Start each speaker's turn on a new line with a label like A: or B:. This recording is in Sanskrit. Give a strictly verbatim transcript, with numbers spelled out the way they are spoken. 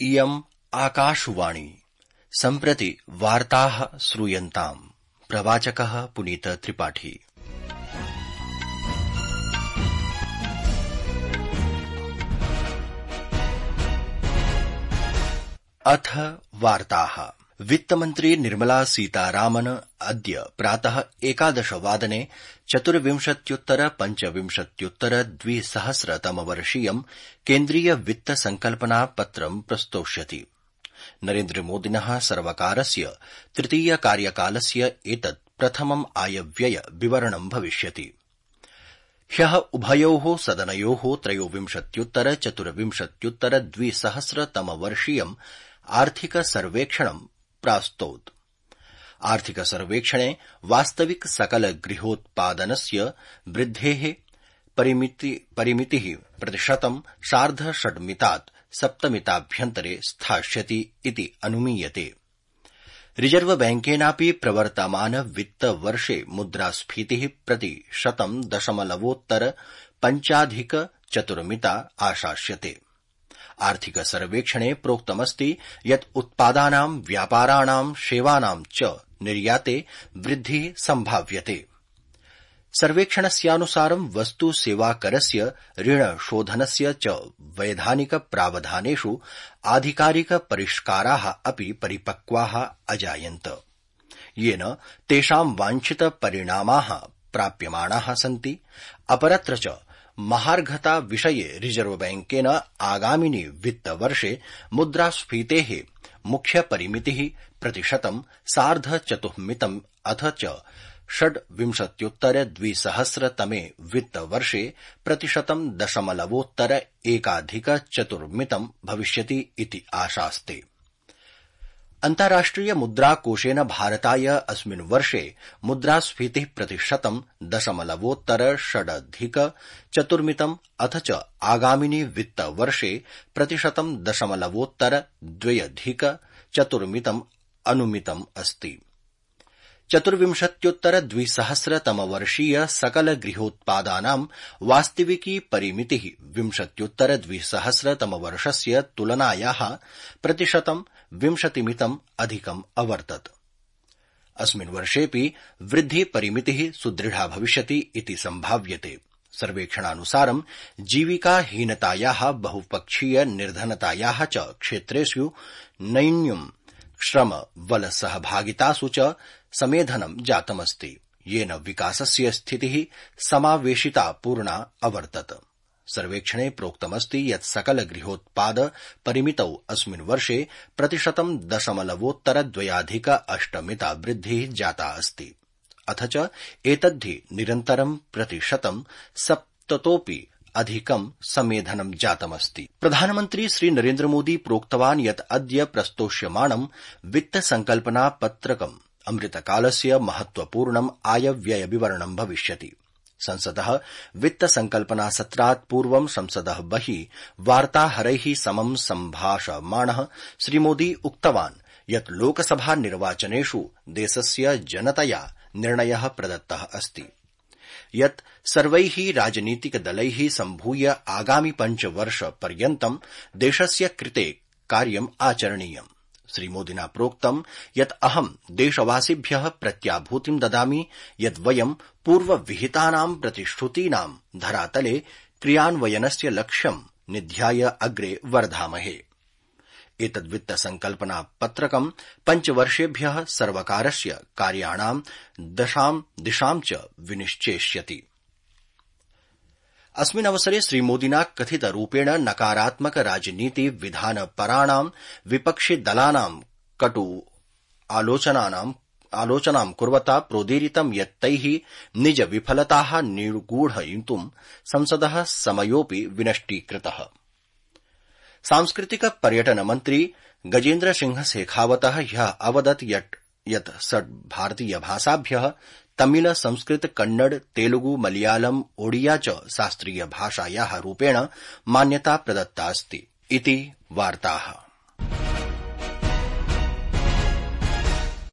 A: इयम् आकाशवाणी सम्प्रति वार्ताः श्रूयन्ताम्। प्रवाचकः पुनीत त्रिपाठी। अथ वार्ताः। वित्तमन्त्री निर्मला सीतारामन अद्य प्रातः एकादशवादने चतुर्विंशत्युत्तर पञ्चविंशत्युत्तर द्विसहस्रतमवर्षीयं केन्द्रीय वित्त संकल्पना पत्रं प्रस्तोष्यति। नरेन्द्रमोदिनः सर्वकारस्य तृतीय कार्यकालस्य एतत् प्रथमम् आयव्यय विवरणं भविष्यति। ह्यः उभयोः सदनयोः त्रयोविंशत्युत्तर चतुर्विंशत्युत्तर द्विसहस्रतमवर्षीयम् आर्थिक सर्वेक्षणं प्रास्तौत्। आर्थिक सर्वेक्षणे वास्तविक सकल गृहोत्पादनस्य वृद्धेः परिमितिः प्रतिशतं सार्ध षड्मितात् सप्तमिताभ्यन्तरे स्थास्यति इति अनुमीयते। रिजर्व बैंकेनापि प्रवर्तमान वित्तवर्षे मुद्रास्फीतिः प्रतिशतं दशमलवोत्तर पञ्चाधिक चतुर्मिता आशास्यते। आर्थिक सर्वेक्षणे प्रोक्तमस्ति यत् उत्पादानां व्यापाराणां सेवानां च निर्याते वृद्धिः सम्भाव्यते। सर्वेक्षणस्यानुसारं वस्तु सेवाकरस्य ऋणशोधनस्य च वैधानिक प्रावधानेषु आधिकारिक परिष्काराः अपि परिपक्वाः अजायन्त, येन तेषां वाञ्छित परिणामाः प्राप्यमाणाः सन्ति। अपरत्र च महार्घता विषये रिजर्व बैंकेन आगामिनि वित्तवर्षे मुद्रास्फीतेः मुख्यपरिमितिः प्रतिशतं सार्ध चतुःमितम् अथ च षड्विंशत्युत्तर द्विसहस्रतमे वित्तवर्षे प्रतिशतं दशमलवोत्तर एकाधिक चतुर्मितम् भविष्यति इति आशास्ते। अन्ताराष्ट्रिय मुद्राकोषेन भारताय अस्मिन् वर्षे मुद्रास्फीतिः प्रतिशतं दशमलवोत्तर षडधिक चतुर्मितम् अथ च आगामिनि वित्तवर्षे प्रतिशतं दशमलवोत्तर द्व्यधिक चतुर्मितम् अनुमितम् अस्ति। चतुर्विंशत्युत्तर द्विसहस्रतमवर्षीय सकल गृहोत्पादानां वास्तविकी परिमितिः विंशत्युत्तर द्विसहस्रतमवर्षस्य तुलनायाः प्रतिशतं विंशतिमितम् अधिकम् अवर्तत। अस्मिन् वर्षेऽपि वृद्धिपरिमितिः सुदृढा भविष्यति इति सम्भाव्यते। सर्वेक्षणानुसारं जीविकाहीनतायाः बहुपक्षीय निर्धनतायाः च क्षेत्रेषु नैन्यम् श्रम बल सहभागितासु च समेधनं जातमस्ति, येन विकासस्य स्थितिः समावेशिता पूर्णा अवर्तत। सर्वेक्षणे प्रोक्तमस्ति यत् सकल गृहोत्पाद परिमितौ अस्मिन् वर्षे प्रतिशतं दशमलवोत्तर द्वयाधिक अष्टमिता वृद्धिः जाता अस्ति, अथ च एतद्धि निरन्तरं प्रतिशतं सप्ततोऽपि अधिकं समेधनं जातमस्ति। प्रधानमन्त्री श्री नरेन्द्रमोदी प्रोक्तवान् यत् अद्य प्रस्तोष्यमाणं वित्तसंकल्पना पत्रकम् अमृतकालस्य महत्वपूर्णम् आयव्यय विवरणं भविष्यति। संसदः वित्तसंकल्पना सत्रात् पूर्वं संसदः बहिः वार्ताहरैः समं सम्भाषमाणः श्रीमोदी उक्तवान् यत् लोकसभा निर्वाचनेषु देशस्य जनतया निर्णयः प्रदत्तः अस्ति यत् सर्वैः राजनीतिकदलैः सम्भूय आगामि पञ्चवर्षपर्यन्तं देशस्य कृते कार्यम् आचरणीयम्। श्रीमोदिना प्रोक्तम् यत् अहं देशवासिभ्यः प्रत्याभूतिं ददामि यत् वयं पूर्वविहितानां प्रतिश्रुतीनां धरातले क्रियान्वयनस्य लक्ष्यं निध्याय अग्रे वर्धामहे। एतद्वित्तसंकल्पना पत्रकं पञ्चवर्षेभ्यः सर्वकारस्य कार्याणां दशां दिशां च विनिश्चेष्यति। अस्मिन् अवसरे श्रीमोदिना कथितरूपेण नकारात्मक राजनीति विधानपराणां विपक्षिदलानां कटु आलोचनानां आलोचनां कुर्वता प्रोदीरितं यत् तैः निज विफलताः निर्गूढयितुं संसदः समयोऽपि विनष्टीकृतः। सांस्कृतिक पर्यटन मन्त्री गजेन्द्र सिंह शेखावतः ह्यः अवदत् यत् षट् भारतीय भाषाभ्यः तमिल संस्कृत कन्नड तेलुगु मलयालम ओडिया च शास्त्रीय भाषायाः रूपेण मान्यता प्रदत्ता अस्ति इति वार्ताः।